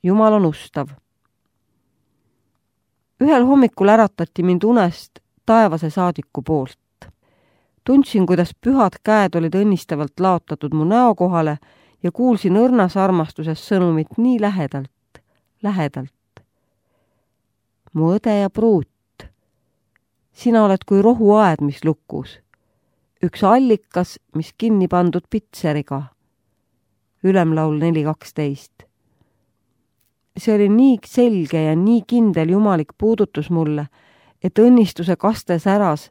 Jumal on ustav. Ühel hommikul äratati mind unest taevase saadiku poolt. Tundsin, kuidas pühad käed olid õnnistavalt laotatud mu näo kohale ja kuulsin õrnas armastuses sõnumit nii lähedalt. Mu õde ja pruut, sina oled kui rohuaed, mis lukus. Üks allikas, mis kinni pandud pitseriga. Ülemlaul 4.12. See oli nii selge ja nii kindel jumalik puudutus mulle, et õnnistuse kaste säras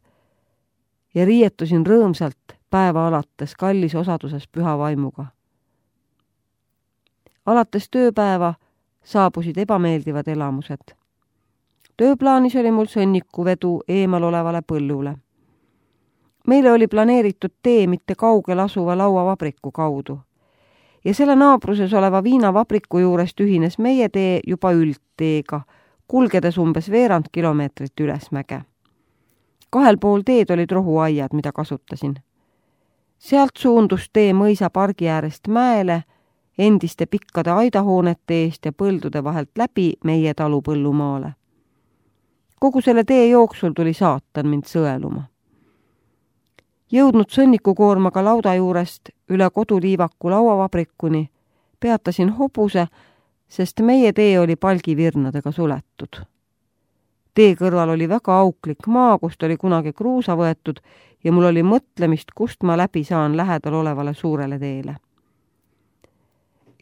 ja riietusin rõõmsalt päeva alates kallis osaduses püha vaimuga. Alates tööpäeva saabusid ebameeldivad elamused. Tööplaanis oli mul sõnnikuvedu eemal olevale põllule. Meile oli planeeritud tee mitte kaugel asuva lauavabriku kaudu ja selle naabruses oleva viinavabriku juurest ühines meie tee juba üldteega, kulgedes umbes veerand kilomeetrit ülesmäge. 2 pool teed olid rohuaiad, mida kasutasin. Sealt suundus tee mõisa pargi äärest mäele, endiste pikkade aidahoonete eest ja põldude vahelt läbi meie talu põllumaale. Kogu selle tee jooksul tuli saatan mind sõeluma. Jõudnud sõnnikukoormaga lauda juurest üle koduliivaku lauavabrikuni, peatasin hobuse, sest meie tee oli palgivirnadega suletud. Tee kõrval oli väga auklik maa, kust oli kunagi kruusa võetud ja mul oli mõtlemist, kust ma läbi saan lähedal olevale suurele teele.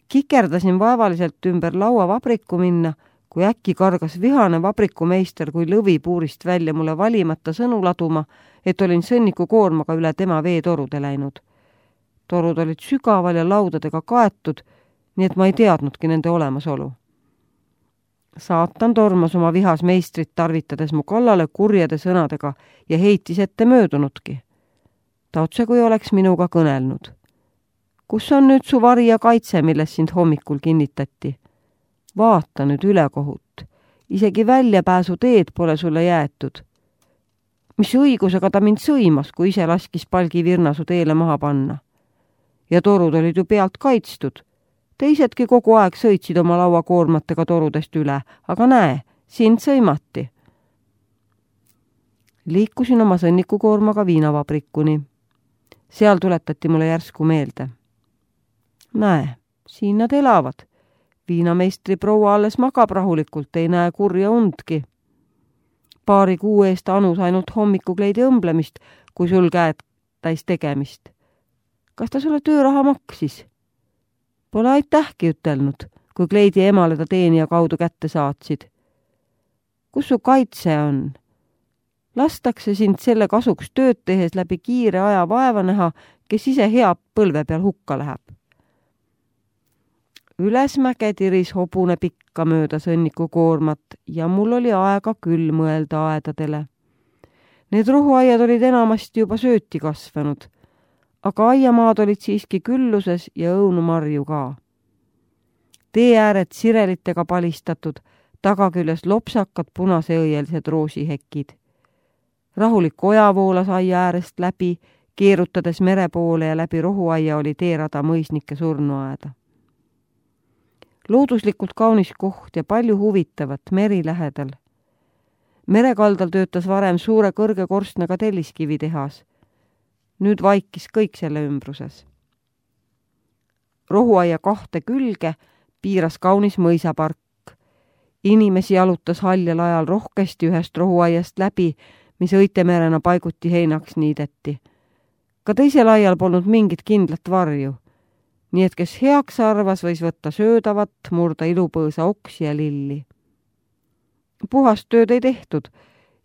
Kikerdasin vaevaliselt ümber lauavabriku minna, kui äkki kargas vihane vabrikumeister kui lõvi puurist välja mulle valimata sõnu laduma, et olin sõnniku koormaga üle tema veetorude läinud. Torud olid sügaval ja laudadega kaetud, nii et ma ei teadnudki nende olemasolu. Saatan tormas oma vihas meistrit tarvitades mu kallale kurjade sõnadega ja heitis ette möödunudki. Ta otse kui oleks minuga kõnelnud. Kus on nüüd su vari ja kaitse, milles sind hommikul kinnitati? Vaata nüüd ülekohut. Isegi väljapääsu teed pole sulle jäetud. Mis õigusega ta mind sõimas, kui ise laskis palgivirna su teele maha panna? Ja torud olid ju pealt kaitstud. Teisedki kogu aeg sõitsid oma lauakoormatega torudest üle, aga näe, sind sõimati. Liikusin oma sõnnikukoormaga viinavabrikuni. Seal tuletati mulle järsku meelde. Näe, siin nad elavad. Viinameistri proua alles magab rahulikult, ei näe kurja undki. Paari kuu eest anus ainult hommikukleidi õmblemist, kui sul käed täis tegemist. Kas ta sulle tööraha maksis? Pole aitähki ütelnud, kui kleidi emale ta teenija kaudu kätte saatsid. Kus su kaitse on? Lastakse sind selle kasuks tööd tehes läbi kiire aja vaeva näha, kes ise hea põlve peal hukka läheb. Ülesmäge tiris hobune pikka mööda sõnnikukoormat ja mul oli aega küll mõelda aedadele. Need rohuaiad olid enamasti juba sööti kasvanud, aga aiamaad olid siiski külluses ja õunumarju ka. Tee ääred sirelitega palistatud, tagaküljes lopsakad punaseõielised roosihekid. Rahulik oja voolas aia äärest läbi, keerutades mere poole ja läbi rohuaia oli teerada mõisnike surnuaeda. Looduslikult kaunis koht ja palju huvitavat meri lähedal. Merekaldal töötas varem suure kõrge korstnaga telliskivitehas. Nüüd vaikis kõik selle ümbruses. Rohuaia 2 külge piiras kaunis mõisapark. Inimesi jalutas haljal ajal rohkesti ühest rohuaiast läbi, mis õitemerena paiguti heinaks niideti. Ka teisel aial polnud mingit kindlat varju. Nii et kes heaks arvas, võis võtta söödavat, murda ilupõõsa oksi ja lilli. Puhast tööd ei tehtud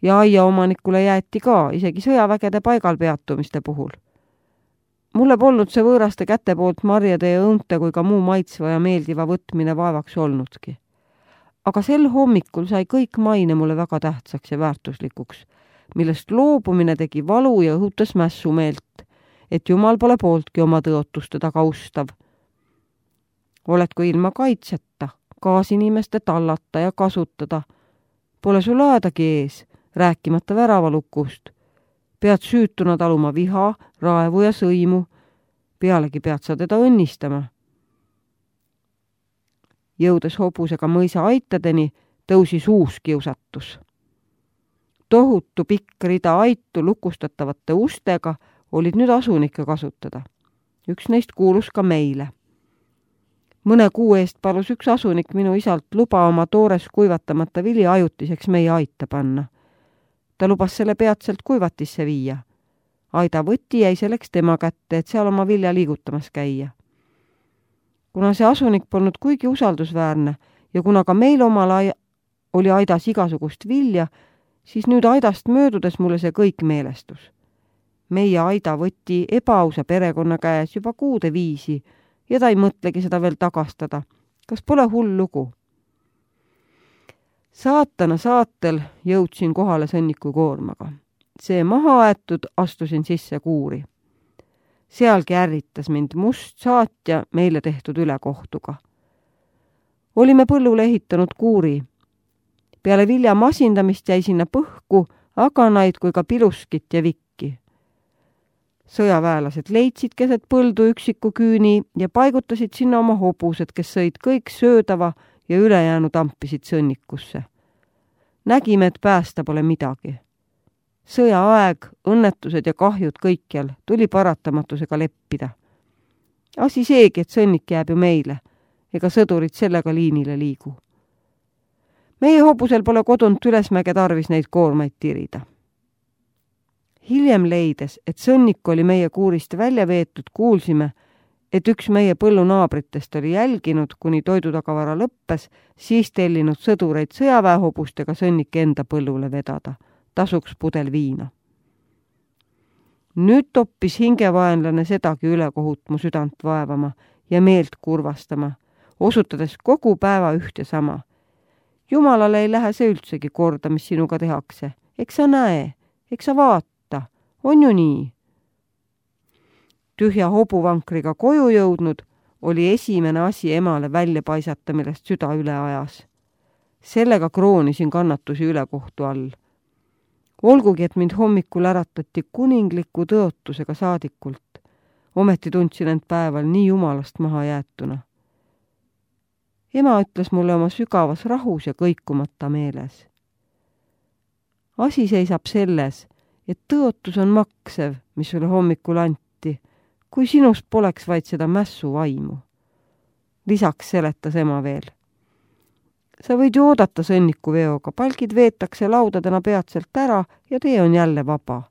ja aiaomanikule jäeti ka isegi sõjavägede paigal peatumiste puhul. Mulle polnud see võõraste käte poolt marjade ja õunte kui ka muu maitsva ja meeldiva võtmine vaevaks olnudki. Aga sel hommikul sai kõik maine mulle väga tähtsaks ja väärtuslikuks, millest loobumine tegi valu ja õhutas mässumeelt, et Jumal pole pooltki oma tõotuste taga ustav. Oledku ilma kaitseta, kaasinimeste tallata ja kasutada. Pole sul aedagi ees, rääkimata väravalukust. Pead süütuna taluma viha, raevu ja sõimu. Pealegi pead sa teda õnnistama. jõudes hobusega mõisa aitadeni, tõusis uus kiusatus. Tohutu pikk rida aitu lukustatavate ustega olid nüüd asunikke kasutada. Üks neist kuulus ka meile. Mõne kuu eest palus üks asunik minu isalt luba oma toores kuivatamata vili ajutiseks meie aita panna. Ta lubas selle peatselt kuivatisse viia. Aida võti jäi selleks tema kätte, et seal oma vilja liigutamas käia. Kuna see asunik polnud kuigi usaldusväärne ja kuna ka meil omal oli aidas igasugust vilja, siis nüüd aidast möödudes mulle see kõik meelestus. Meie aida võti ebaausa perekonna käes juba kuude viisi ja ta ei mõtlegi seda veel tagastada. Kas pole hull lugu? Saatana saatel jõudsin kohale sõnniku koormaga. See maha aetud astusin sisse kuuri. Sealgi ärritas mind must saatja meile tehtud ülekohtuga. Olime põllule ehitanud kuuri. Peale vilja masindamist jäi sinna põhku aganaid kui ka piluskit ja vikki. Sõjaväelased leidsid keset põldu üksiku küüni ja paigutasid sinna oma hobused, kes sõid kõik söödava ja ülejäänu tampisid sõnnikusse. Nägime, et päästa pole midagi. Sõjaaeg, õnnetused ja kahjud kõikjal tuli paratamatusega leppida. Asi seegi, et sõnnik jääb ju meile, ega sõdurid sellega liinile liigu. Meie hobusel pole kodunt ülesmäge tarvis neid koormaid tirida. Hiljem leides, et sõnnik oli meie kuurist välja veetud, kuulsime, et üks meie põllunaabritest oli jälginud, kuni toidutagavara lõppes, siis tellinud sõdureid sõjaväehobustega sõnnik enda põllule vedada. Tasuks pudel viina. Nüüd toppis hingevaenlane sedagi ülekohut mu südant vaevama ja meelt kurvastama, osutades kogu päeva üht ja sama. Jumalale ei lähe see üldsegi korda, mis sinuga tehakse. Eks sa näe, eks sa vaata, on ju nii. Tühja hobuvankriga koju jõudnud oli esimene asi emale välja paisata, millest süda üle ajas. Sellega kroonisin kannatusi ülekohtu all. Olgugi, et mind hommikul äratati kuningliku tõotusega saadikult, ometi tundsin end päeval nii jumalast maha jäetuna. Ema ütles mulle oma sügavas rahus ja kõikumata meeles. Asi seisab selles, et tõotus on maksev, mis sulle hommikul anti, kui sinust poleks vaid seda mässu vaimu. Lisaks seletas ema veel. Sa võid ju oodata sõnniku veoga, palgid veetakse laudadena peatselt ära ja tee on jälle vaba.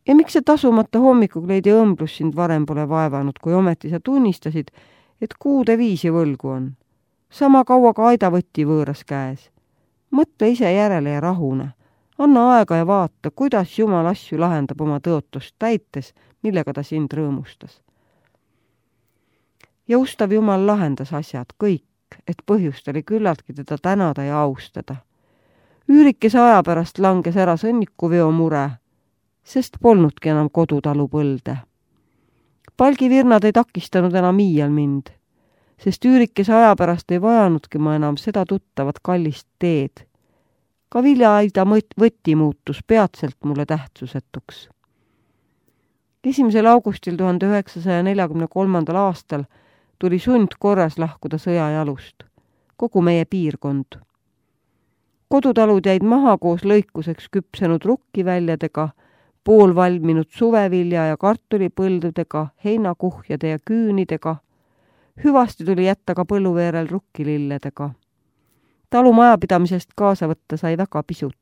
Ja miks see tasumata hommikukleidi õmblus sind varem pole vaevanud, kui ometi sa tunnistasid, et kuude viisi võlgu on? Sama kaua ka aida võtti võõras käes. Mõtle ise järele ja rahune. Anna aega ja vaata, kuidas Jumal asju lahendab oma tõotust täites, millega ta sind rõõmustas. Ja ustav Jumal lahendas asjad kõik, et põhjust oli küllaltki teda tänada ja austada. Üürikese aja pärast langes ära sõnnikuveo mure, sest polnudki enam kodutalu põlde. Palgivirnad ei takistanud enam iial mind, sest üürikese aja pärast ei vajanudki ma enam seda tuttavat kallist teed. Ka viljaaida võti muutus peatselt mulle tähtsusetuks. 1. augustil 1943. aastal tuli sundkorras lahkuda sõjajalust, kogu meie piirkond. Kodutalud jäid maha koos lõikuseks küpsenud rukkiväljadega, poolvalminud suvevilja ja kartulipõldudega, heinakuhjade ja küünidega. Hüvasti tuli jätta ka põlluveerel rukkililledega. Talumajapidamisest kaasa võtta sai väga pisut.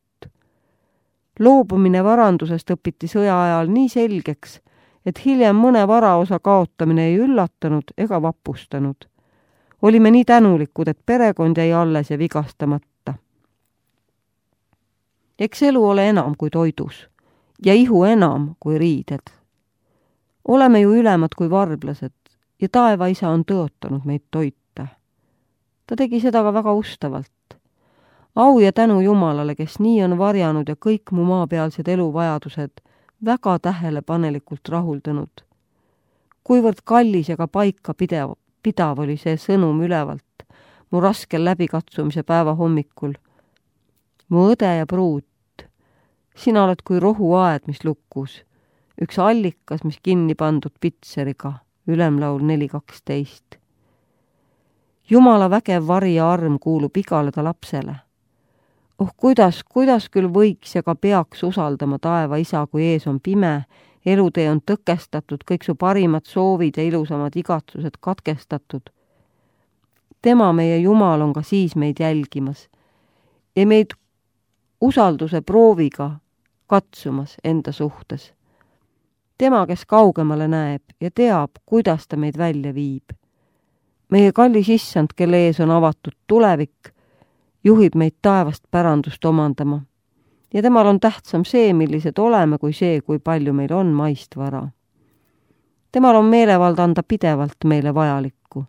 Loobumine varandusest õpiti sõja ajal nii selgeks, et hiljem mõne varaosa kaotamine ei üllatanud ega vapustanud. Olime nii tänulikud, et perekond jäi alles ja vigastamata. Eks elu ole enam kui toidus ja ihu enam kui riided. Oleme ju ülemad kui varblased ja taevaisa on tõotanud meid toita. Ta tegi seda ka väga ustavalt. Au ja tänu Jumalale, kes nii on varjanud ja kõik mu maapealsed eluvajadused väga tähelepanelikult rahuldanud. Kuivõrd kallis ja ka paika pidav oli see sõnum ülevalt mu raskel läbikatsumise päeva hommikul. Mu õde ja pruut, sina oled kui rohuaed, mis lukkus, üks allikas, mis kinni pandud pitseriga, Ülemlaul 4.12. Jumala vägev vari ja arm kuulub igale ta lapsele. Kuidas küll võiks ja ka peaks usaldama taeva isa, kui ees on pime, elutee on tõkestatud, kõik su parimad soovid ja ilusamad igatsused katkestatud. Tema, meie Jumal, on ka siis meid jälgimas ja meid usalduse prooviga katsumas enda suhtes. Tema, kes kaugemale näeb ja teab, kuidas ta meid välja viib. Meie kallis issand, kelle ees on avatud tulevik, juhib meid taevast pärandust omandama. Ja temal on tähtsam see, millised oleme, kui see, kui palju meil on maist vara. Temal on meelevald anda pidevalt meile vajalikku.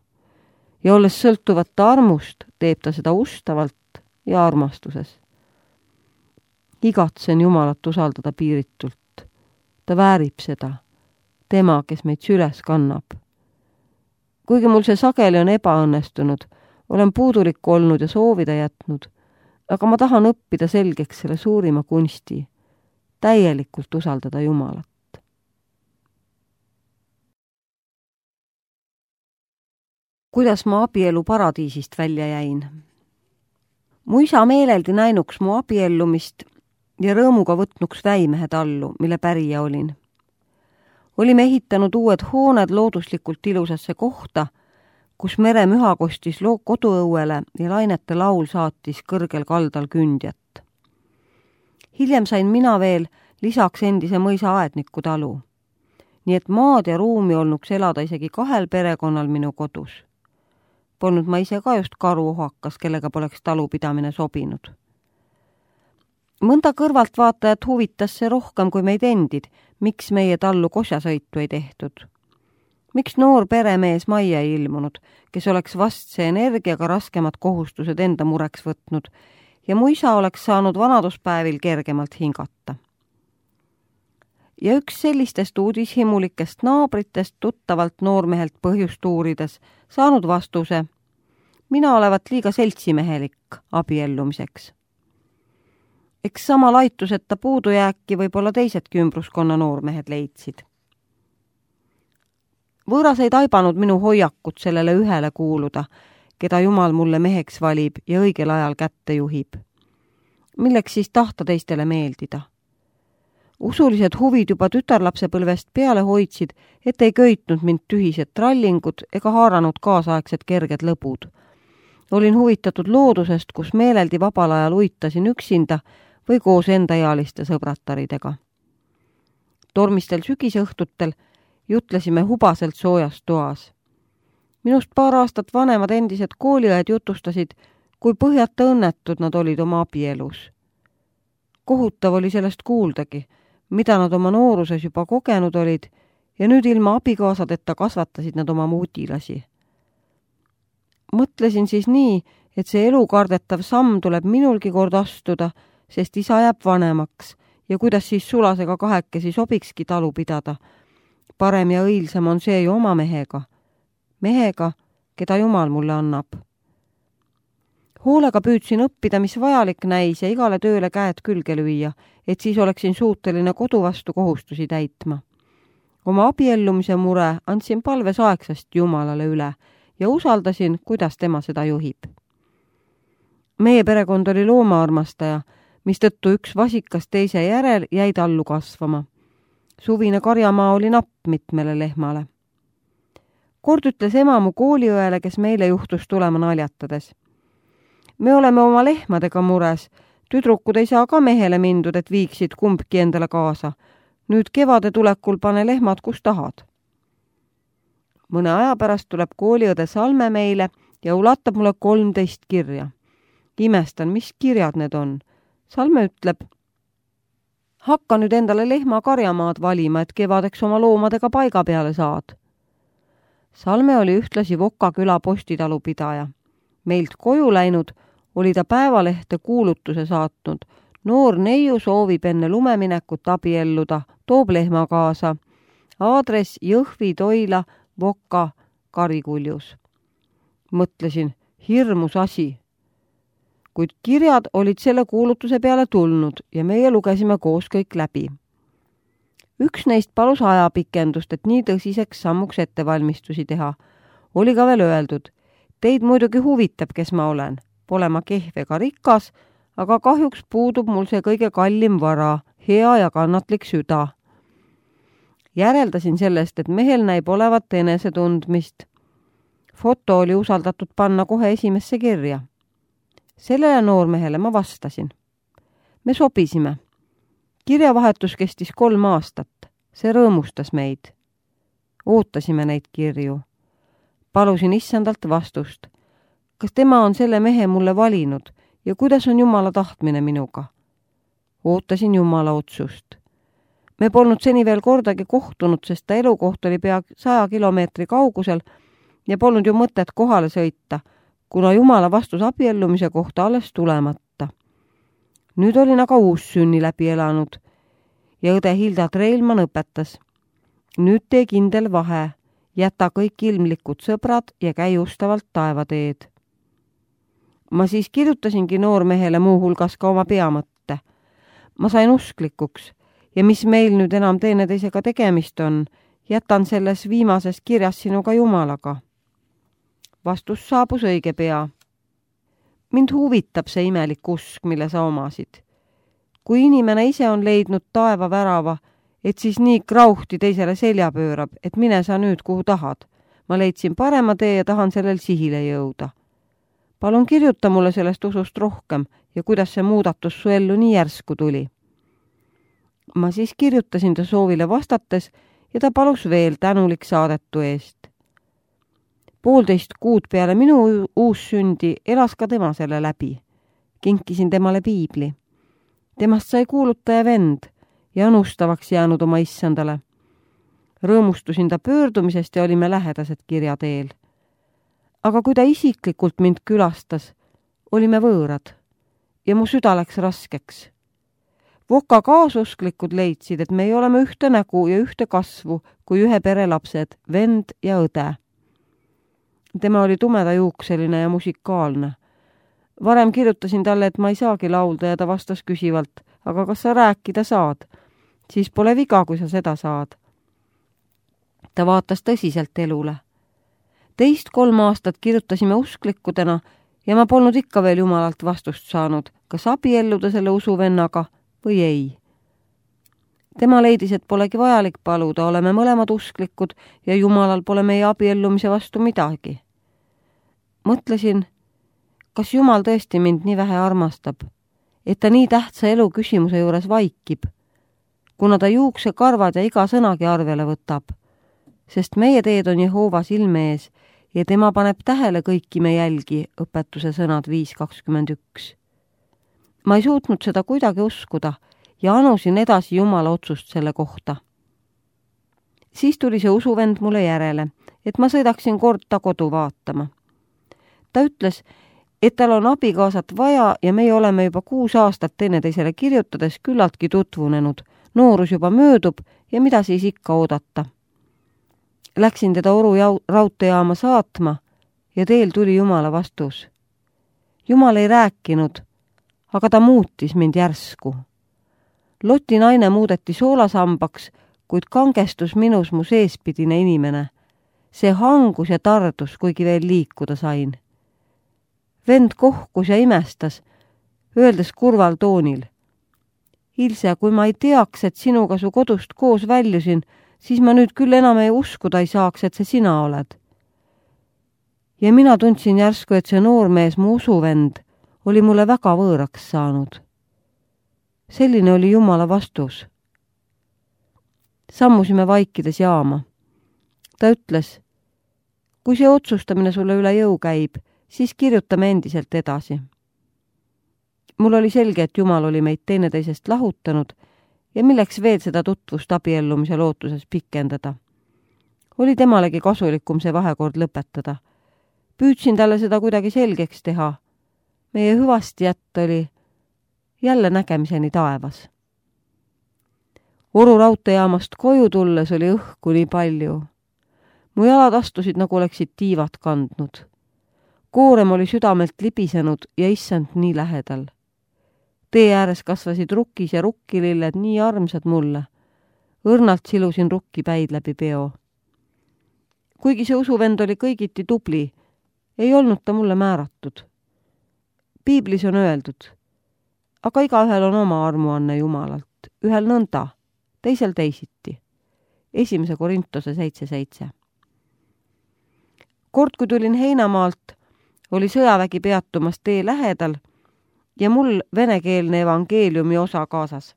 Ja olles sõltuvata armust, teeb ta seda ustavalt ja armastuses. Igatsen Jumalat usaldada piiritult. Ta väärib seda. Tema, kes meid süles kannab. Kuigi mul see sageli on ebaõnnestunud, olen puudulik olnud ja soovida jätnud, aga ma tahan õppida selgeks selle suurima kunsti, täielikult usaldada Jumalat. Kuidas ma abielu paradiisist välja jäin? Mu isa meeleldi näinuks mu abiellumist ja rõõmuga võtnuks väimehe tallu, mille pärija olin. Olime ehitanud uued hooned looduslikult ilusasse kohta, kus meremüha kostis koduõuele ja lainete laul saatis kõrgel kaldal kündjat. Hiljem sain mina veel lisaks endise mõisa aedniku talu, nii et maad ja ruumi olnuks elada isegi 2 perekonnal minu kodus. Polnud ma ise ka just karuohakas, kellega poleks talupidamine sobinud. Mõnda kõrvaltvaatajat huvitas see rohkem kui meid endid, miks meie tallu kosjasõitu ei tehtud. Miks noor peremees majja ei ilmunud, kes oleks vastse energiaga raskemad kohustused enda mureks võtnud ja mu isa oleks saanud vanaduspäevil kergemalt hingata. Ja üks sellistest uudishimulikest naabritest tuttavalt noormehelt põhjust uurides saanud vastuse: mina olevat liiga seltsimehelik abiellumiseks. Eks sama laituseta puudujääki võib-olla teisedki ümbruskonna noormehed leidsid. Võõras ei taibanud minu hoiakut sellele ühele kuuluda, keda Jumal mulle meheks valib ja õigel ajal kätte juhib. Milleks siis tahta teistele meeldida? Usulised huvid juba tütarlapsepõlvest peale hoidsid, et ei köitnud mind tühised trallingud ega haaranud kaasaegsed kerged lõbud. Olin huvitatud loodusest, kus meeleldi vabal ajal uitasin üksinda või koos endaealiste sõbrataridega. Tormistel sügisõhtutel jutlesime hubaselt soojas toas. Minust paar aastat vanemad endised kooliõed jutustasid, kui põhjata õnnetud nad olid oma abielus. Kohutav oli sellest kuuldagi, mida nad oma nooruses juba kogenud olid ja nüüd ilma abikaasadeta kasvatasid nad oma muudilasi. Mõtlesin siis nii, et see elukardetav samm tuleb minulgi kord astuda, sest isa jääb vanemaks ja kuidas siis sulasega kahekesi sobikski talu pidada. Parem ja õilsam on see ju oma mehega. Mehega, keda Jumal mulle annab. Hoolega püüdsin õppida, mis vajalik näis ja igale tööle käed külge lüüa, et siis oleksin suuteline kodu vastu kohustusi täitma. Oma abiellumise mure andsin palves aegsast Jumalale üle ja usaldasin, kuidas tema seda juhib. Meie perekond oli loomaarmastaja, mistõttu üks vasikas teise järel jäi tallu kasvama. Suvine karjamaa oli napp mitmele lehmale. Kord ütles ema mu kooliõele, kes meile juhtus tulema naljatades: me oleme oma lehmadega mures, tüdrukud ei saa ka mehele mindud, et viiksid kumbki endale kaasa. Nüüd kevade tulekul pane lehmad, kus tahad. Mõne aja pärast tuleb kooliõde Salme meile ja ulatab mulle 13 kirja. Imestan, mis kirjad need on. Salme ütleb: hakka nüüd endale lehma karjamaad valima, et kevadeks oma loomadega paiga peale saad. Salme oli ühtlasi Voka küla postitalu pidaja. Meilt koju läinud oli ta päevalehte kuulutuse saatnud. Noor neiu soovib enne lumeminekut abielluda, toob lehma kaasa. Aadress Jõhvi, Toila, Voka, Karikuljus. Mõtlesin, hirmus asi. Kuid kirjad olid selle kuulutuse peale tulnud ja meie lugesime koos kõik läbi. Üks neist palus ajapikendust, et nii tõsiseks sammuks ettevalmistusi teha. Oli ka veel öeldud: Teid muidugi huvitab, kes ma olen. Pole ma kehv ega rikas, aga kahjuks puudub mul see kõige kallim vara, hea ja kannatlik süda. Järeldasin sellest, et mehel näib olevat enesetundmist. Foto oli usaldatud panna kohe esimesse kirja. Sellele noormehele ma vastasin. Me sobisime. Kirjavahetus kestis 3 aastat. See rõõmustas meid. Ootasime neid kirju. Palusin issandalt vastust. Kas tema on selle mehe mulle valinud ja kuidas on Jumala tahtmine minuga? Ootasin Jumala otsust. Me polnud seni veel kordagi kohtunud, sest ta elukoht oli pea 100 kilomeetri kaugusel ja polnud ju mõtet kohale sõita, kuna Jumala vastus abiellumise kohta alles tulemata. Nüüd olin aga uussünni läbi elanud ja õde Hilda Treilmann õpetas. Nüüd tee kindel vahe, jäta kõik ilmlikud sõbrad ja käi ustavalt taevateed. Ma siis kirjutasingi noormehele muu hulgas ka oma peamõtte. Ma sain usklikuks ja mis meil nüüd enam teineteisega tegemist on, jätan selles viimases kirjas sinuga Jumalaga. Vastus saabus õige pea. Mind huvitab see imelik usk, mille sa omasid. Kui inimene ise on leidnud taeva värava, et siis nii krauhti teisele selja pöörab, et mine sa nüüd kuhu tahad. Ma leidsin parema tee ja tahan sellel sihile jõuda. Palun kirjuta mulle sellest usust rohkem ja kuidas see muudatus su ellu nii järsku tuli. Ma siis kirjutasin ta soovile vastates ja ta palus veel tänulik saadetu eest. 1,5 kuud peale minu uussündi elas ka tema selle läbi. Kinkisin temale piibli. Temast sai kuulutaja vend ja unustavaks jäänud oma issandale. Rõõmustusin ta pöördumisest ja olime lähedased kirjateel. Aga kui ta isiklikult mind külastas, olime võõrad ja mu süda läks raskeks. Voka kaasusklikud leidsid, et me ei oleme ühte nägu ja ühte kasvu kui ühe pere lapsed, vend ja õde. Tema oli tumedajuukseline ja musikaalne. Varem kirjutasin talle, et ma ei saagi laulda ja ta vastas küsivalt, aga kas sa rääkida saad? Siis pole viga, kui sa seda saad. Ta vaatas tõsiselt elule. 2-3 aastat kirjutasime usklikudena ja ma polnud ikka veel Jumalalt vastust saanud, kas abielluda selle usuvennaga või ei. Tema leidis, et polegi vajalik paluda, oleme mõlemad usklikud ja Jumalal pole meie abiellumise vastu midagi. Mõtlesin, kas Jumal tõesti mind nii vähe armastab, et ta nii tähtsa elu küsimuse juures vaikib, kuna ta juuksekarvad ja iga sõnagi arvele võtab, sest meie teed on Jehoova silme ees ja tema paneb tähele kõiki me jälgi, õpetuse sõnad 5.21. Ma ei suutnud seda kuidagi uskuda ja anusin edasi Jumala otsust selle kohta. Siis tuli see usuvend mulle järele, et ma sõidaksin kord ta kodu vaatama. Ta ütles, et tal on abikaasat vaja ja meie oleme juba 6 aastat teineteisele kirjutades küllaltki tutvunenud. Noorus juba möödub ja mida siis ikka oodata. Läksin teda Oru raudteejaama saatma ja teel tuli Jumala vastus. Jumal ei rääkinud, aga ta muutis mind järsku. Loti naine muudeti soolasambaks, kuid kangestus minus mu seespidine inimene. See hangus ja tardus, kuigi veel liikuda sain. Vend kohkus ja imestas, öeldes kurval toonil. Ilse, kui ma ei teaks, et sinuga su kodust koos väljusin, siis ma nüüd küll enam ei uskuda ei saaks, et see sina oled. Ja mina tundsin järsku, et see noormees, mu usuvend, oli mulle väga võõraks saanud. Selline oli Jumala vastus. Sammusime vaikides jaama. Ta ütles, kui see otsustamine sulle üle jõu käib, siis kirjutame endiselt edasi. Mul oli selge, et Jumal oli meid teineteisest lahutanud ja milleks veel seda tutvust abiellumise lootuses pikendada. Oli temalegi kasulikum see vahekord lõpetada. Püüdsin talle seda kuidagi selgeks teha. Meie hüvastijätt oli jälle nägemiseni taevas. Oru raudteejaamast koju tulles oli õhku nii palju. Mu jalad astusid, nagu oleksid tiivad kandnud. Koorem oli südamelt libisenud ja issand nii lähedal. Tee ääres kasvasid rukkis ja rukkililled nii armsad mulle. Õrnalt silusin rukkipäid läbi peo. Kuigi see usuvend oli kõigiti tubli, ei olnud ta mulle määratud. Piiblis on öeldud, aga igaühel on oma armuanne Jumalalt, ühel nõnda, teisel teisiti. 1. Korintuse 7:7. Kord, kui tulin Heinamaalt, oli sõjavägi peatumas tee lähedal ja mul venekeelne evangeeliumi osa kaasas.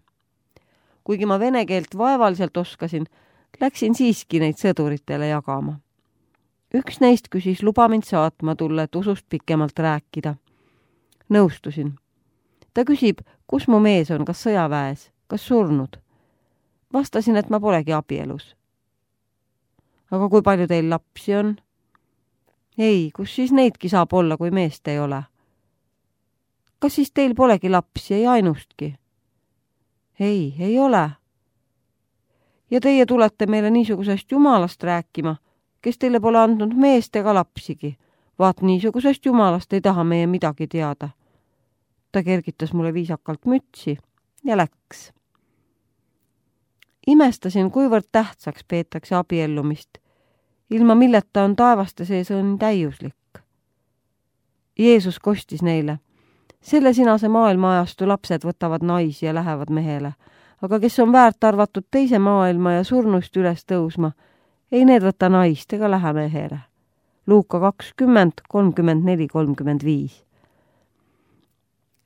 Kuigi ma vene keelt vaevaliselt oskasin, läksin siiski neid sõduritele jagama. Üks neist küsis luba mind saatma tulla, et usust pikemalt rääkida. Nõustusin. Ta küsib, kus mu mees on, kas sõjaväes, kas surnud. Vastasin, et ma polegi abielus. Aga kui palju teil lapsi on? Ei, kus siis neidki saab olla, kui meest ei ole? Kas siis teil polegi lapsi, ei ainustki? Ei ole. Ja teie tulete meile niisugusest Jumalast rääkima, kes teile pole andnud meest ega lapsigi. Vaat niisugusest Jumalast ei taha meie midagi teada. Ta kergitas mulle viisakalt mütsi ja läks. Imestasin, kuivõrd tähtsaks peetakse abiellumist, ilma milleta on taevaste sees õnn täiuslik. Jeesus kostis neile, selle sinase maailmaajastu lapsed võtavad naisi ja lähevad mehele, aga kes on väärt arvatud teise maailma ja surnust üles tõusma, ei need võta naist ega lähe mehele. Luuka 20, 34-35.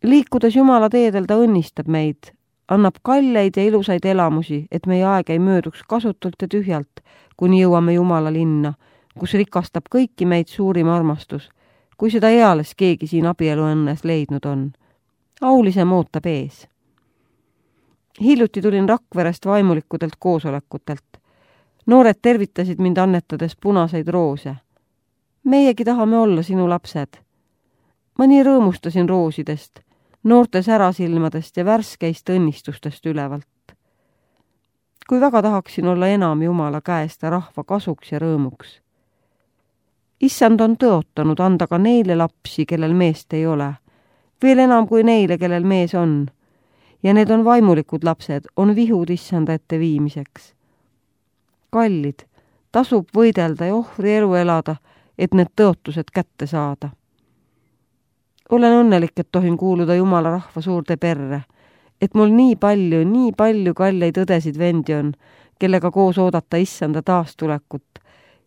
Liikudes Jumala teedel ta õnnistab meid, annab kalleid ja ilusaid elamusi, et meie aeg ei mööduks kasutult ja tühjalt, kuni jõuame Jumala linna, kus rikastab kõiki meid suurim armastus, kui seda eales keegi siin abieluõnnes leidnud on. Aulisem ootab ees. Hiljuti tulin Rakverest vaimulikudelt koosolekutelt. Noored tervitasid mind annetades punaseid roose. Meiegi tahame olla sinu lapsed. Ma nii rõõmustasin roosidest, noorte särasilmadest ja värskeist õnnistustest ülevalt. Kui väga tahaksin olla enam Jumala käest ja rahva kasuks ja rõõmuks. Issand on tõotanud anda ka neile lapsi, kellel meest ei ole, veel enam kui neile, kellel mees on. Ja need on vaimulikud lapsed, on vihud issanda ette viimiseks. Kallid, tasub võidelda ja ohvri elu elada, et need tõotused kätte saada. Olen õnnelik, et tohin kuuluda Jumala rahva suurde perre, et mul nii palju kalleid õdesid vendi on, kellega koos oodata issanda taastulekut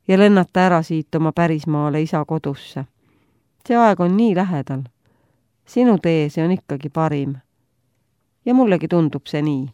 ja lennata ära siit oma pärismaale isa kodusse. See aeg on nii lähedal. Sinu tee, see on ikkagi parim. Ja mullegi tundub see nii.